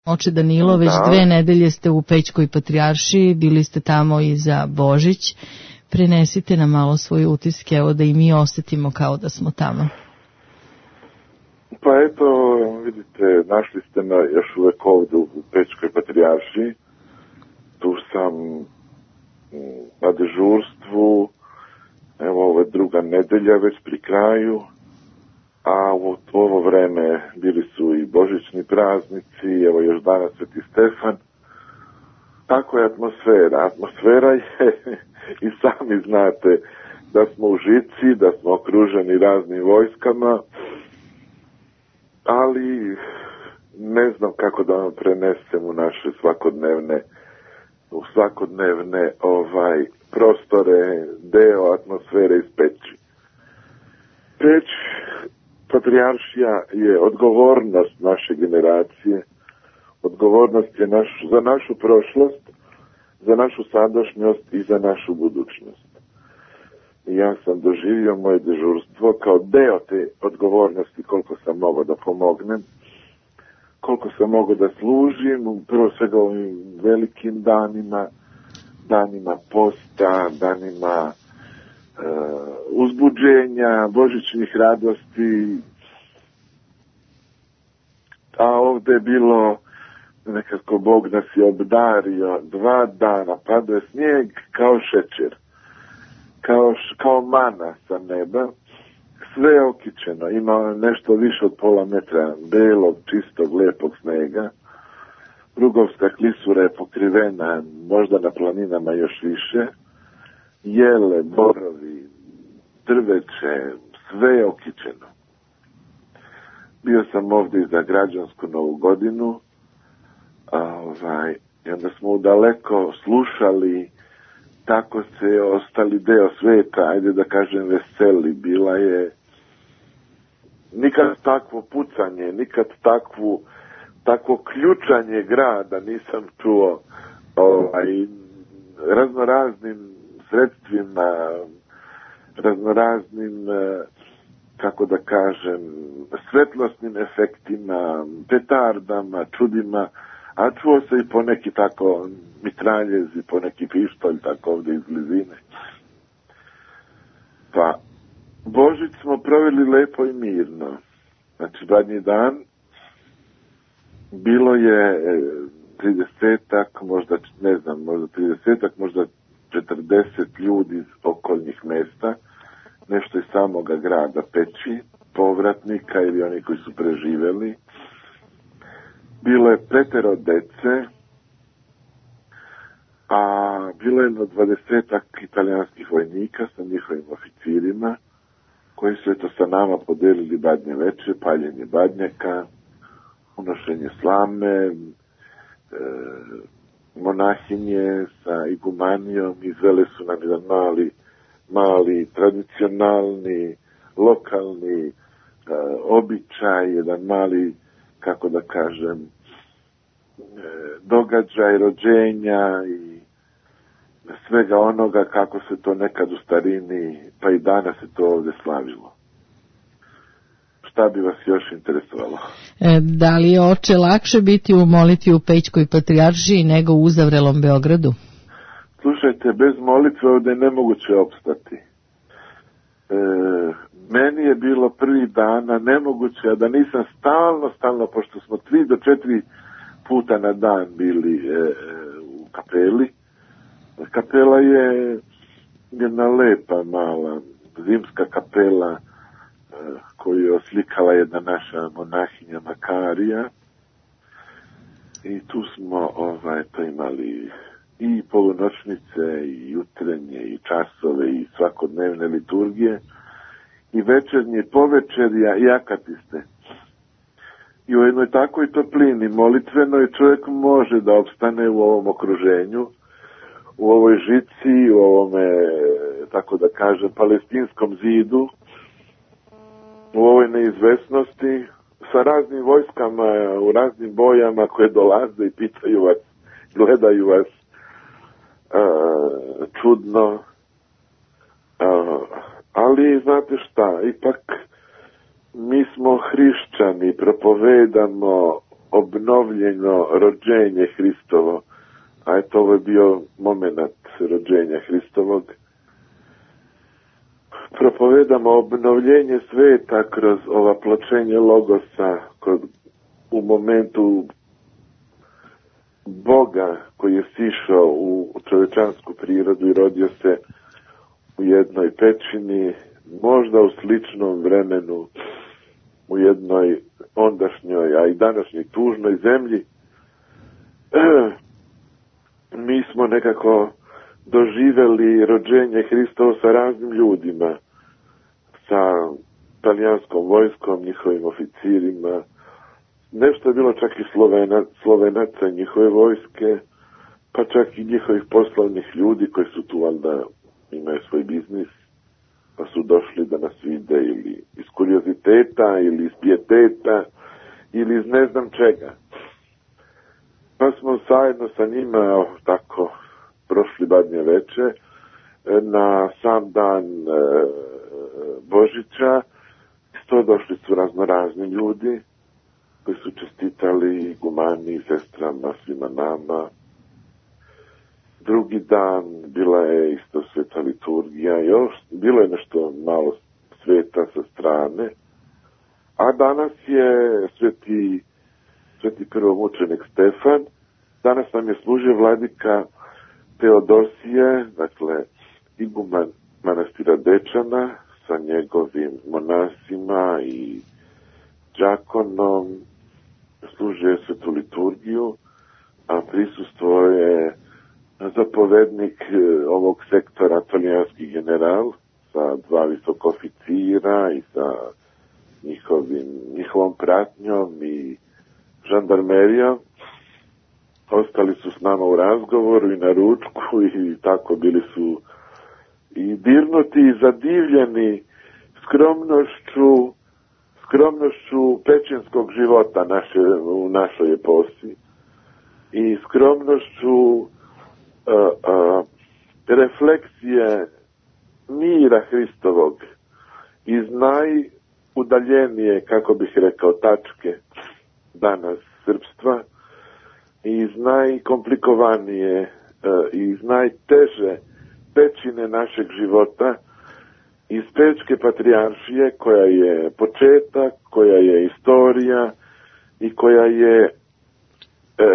Oče Danilo, već 2 nedelje ste u Pećkoj patrijaršiji, bili ste tamo i za Božić. Prenesite nam malo svoje utiske, evo da i mi osjetimo kao da smo tamo. Pa eto, vidite, našli ste me još uvek ovdje u Pećkoj patrijaršiji. Tu sam na dežurstvu, evo ovo je 2. nedelja već pri kraju. A u ovo vreme bili su i božićni praznici, evo još danas Sveti Stefan. Tako je atmosfera. Atmosfera je, i sami znate, da smo u žici, da smo okruženi raznim vojskama, ali ne znam kako da vam prenesem u naše svakodnevne prostore, deo atmosfere iz Peći. Peć, patrijaršija je odgovornost naše generacije, odgovornost je za našu prošlost, za našu sadašnjost i za našu budućnost. I ja sam doživio moje dežurstvo kao deo te odgovornosti, koliko sam mogao da pomognem, koliko sam mogao da služim, prvo svega ovim velikim danima posta, danima uzbuđenja, božićnih radosti. A ovdje je bilo, nekako Bog nas je obdario, 2 dana, padao je snijeg kao šećer, kao mana sa neba, sve je okićeno, ima nešto više od pola metra belog, čistog, lijepog snega. Rugovska klisura je pokrivena, možda na planinama još više, jele, borovi, drveće, sve je okićeno. Bio sam ovdje i za građansku Novu godinu, i onda smo udaleko slušali, tako se ostali deo sveta, ajde da kažem veseli, bila je nikad takvo pucanje, nikad takvo ključanje grada nisam čuo, raznoraznim sredstvima, raznoraznim, kako da kažem, svetlosnim efektima, petardama, čudima, a čuo se i poneki tako mitraljez i poneki pištolj tako ovdje iz blizine. Pa, Božić smo proveli lepo i mirno. Znači, zadnji dan bilo je 30-ak, možda 40 ljudi iz okolnih mesta, nešto iz samoga grada Peći, povratnika ili oni koji su preživjeli. Bilo je 5 dece, a bilo je 20 italijanskih vojnika sa njihovim oficirima, koji su sa nama podelili badnje veče, paljenje badnjaka, unošenje slame, monahinje sa igumanijom, izvele su nam jedan mali tradicionalni, lokalni običaj, jedan mali, kako da kažem, događaj rođenja i svega onoga kako se to nekad u starini, pa i danas se to ovdje slavilo. Šta bi vas još interesovalo? Da li je, oče, lakše biti u molitvi u Pećkoj patrijaršiji nego u uzavrelom Beogradu? Slušajte, bez molitve ovdje je nemoguće opstati. Meni je bilo prvih dana nemoguće, a da nisam stalno, pošto smo 3 do 4 puta na dan bili u kapeli. Kapela je jedna lepa, mala, zimska kapela koju je oslikala jedna naša monahinja Makarija. I tu smo to imali i polunoćnice, i jutrenje, i časove, i svakodnevne liturgije, i večernje, i povečerja, i akatiste. I u jednoj takvoj toplini molitvenoj čovjek može da opstane u ovom okruženju, u ovoj žici, u ovome, tako da kažem, palestinskom zidu, u ovoj neizvesnosti, sa raznim vojskama, u raznim bojama koje dolaze i pitaju vas, gledaju vas čudno. Ali, znate šta, ipak mi smo hrišćani, propovedamo obnovljeno rođenje Hristovo, a eto ovo je bio moment rođenja Hristovog. Propovedamo obnovljenje sveta kroz ovapločenje Logosa, u momentu Boga koji je sišao u čovečansku prirodu i rodio se u jednoj pećini, možda u sličnom vremenu, u jednoj ondašnjoj, a i današnjoj tužnoj zemlji. Mi smo nekako doživjeli rođenje Hristova sa raznim ljudima, sa talijanskom vojskom, njihovim oficirima. Nešto je bilo čak i Slovenaca njihove vojske, pa čak i njihovih poslovnih ljudi koji su tu valjda imaju svoj biznis, pa su došli da nas vide ili iz kurioziteta, ili iz pijeteta, ili iz ne znam čega. Pa smo zajedno sa njima tako prošli badnje veče na sam dan Božića. Isto došli su raznorazni ljudi koji su čestitali igumani, sestrama, svima nama. Drugi dan bila je isto sveta liturgija, još bilo je nešto malo sveta sa strane, a danas je sveti prvomučenik Stefan. Danas nam je služio vladika Teodosije, dakle iguman manastira Dečana sa njegovim monasima i đakonom, služio je svetu liturgiju, a prisustvo je zapovednik ovog sektora, talijanski general, sa 2 visoka oficira i sa njihovom pratnjom i žandarmerijom. Ostali su s nama u razgovoru i na ručku i tako bili su i dirnuti i zadivljeni skromnošću pećinskog života u našoj eposi i skromnošću refleksije mira Hristovog iz najudaljenije, kako bih rekao, tačke danas srpstva i iz najkomplikovanije i iz najteže pećine našeg života, iz Pečke patrijaršije, koja je početak, koja je istorija i koja je,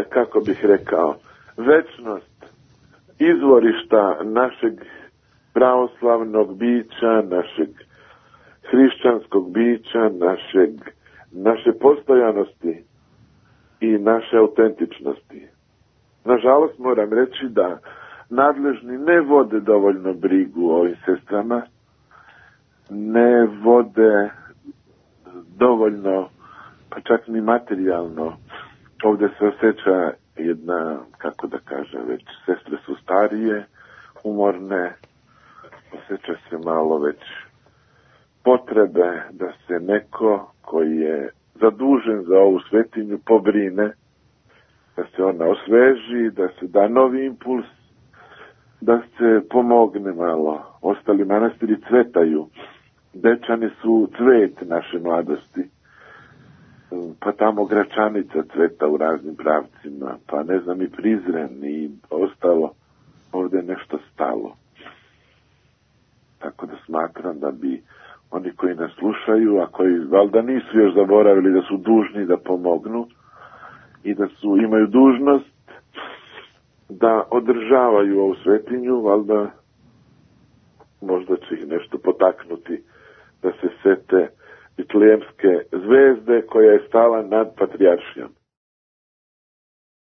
kako bih rekao, večnost izvorišta našeg pravoslavnog bića, našeg hrišćanskog bića, naše postojanosti i naše autentičnosti. Nažalost, moram reći da nadležni ne vode dovoljno brigu o ovim sestrama, ne vode dovoljno, pa čak ni materijalno. Ovdje se osjeća jedna, kako da kažem, već sestre su starije, umorne, osjeća se malo već potrebe da se neko koji je zadužen za ovu svetinju pobrine, da se ona osveži, da se da novi impuls, da se pomogne malo. Ostali manastiri cvetaju. Dečani su cvet naše mladosti. Pa tamo Gračanica cveta u raznim pravcima, pa ne znam i Prizren i ostalo. Ovdje je nešto stalo. Tako da smatram da bi oni koji nas slušaju, a koji valjda nisu još zaboravili da su dužni da pomognu i da imaju dužnost da održavaju ovu svetinju, valjda možda će ih nešto potaknuti da se sete Betlejemske zvezde koja je stala nad patrijaršijom.